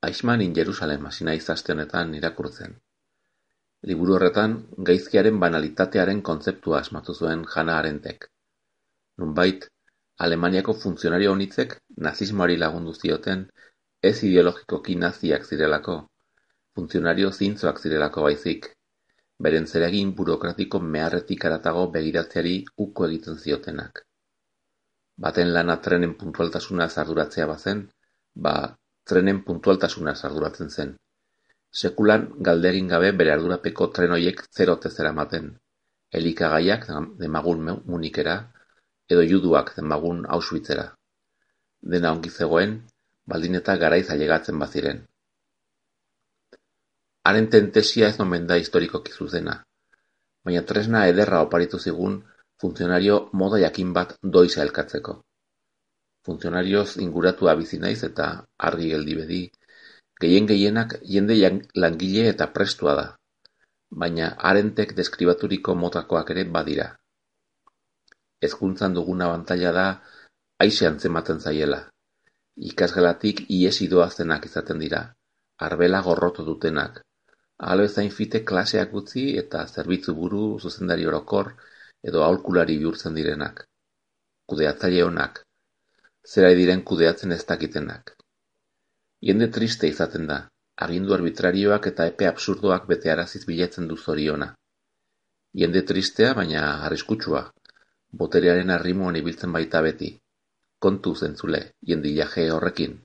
Eichmann in Jerusalem hasi naiz aste honetan irakurtzen. Liburu horretan, gaizkiaren banalitatearen kontzeptua asmatu zuen Hannah Arendtek. Nonbait, Alemaniako funtzionario anitzek nazismoari lagundu zioten ez ideologikoki naziak zirelako, funtzionario zintzoak zirelako baizik, beren zeregin burokratiko meharretik haratago begiratzeari uko egiten ziotenak. Baten lana trenen puntualtasunaz arduratzea bazen, trenen puntualtasunaz arduratzen zen. Sekulan galdegin gabe bere ardurapeko tren hoiek zerote zeramaten, elikagaiak demagun Munikera, edo juduak demagun Auschwitzera. Dena ongi zegoen, baldin eta garaiz ailegatzen baziren. Arendten tesia ez omen da historikoki zuzena, baina tresna ederra oparitu zigun funtzionario moda jakin bat doiza elkatzeko. Funtzionarioz inguratua bizi naiz eta argi geldi bedi, gehienak jende langile eta prestua da, baina Arendtek deskribaturiko motakoak ere badira. Hezkuntzan dugun abantaila da aise antzematen zaiela. Ikasgelatik ihesi doazenak izaten dira, arbela gorroto dutenak, ahal bezain fite klaseak utzi eta zerbitzu buru, zuzendari orokor edo aholkulari bihurtzen direnak. Kudeatzaile onak, zera diren kudeatzen ez dakitenak. Jende triste izaten da, agindu arbitrarioak eta epe absurdoak betearaziz bilatzen du zoriona. Jende tristea, baina arriskutsua, boterearen arrimuan ibiltzen baita beti. Kontu zentzule, jendilaje horrekin.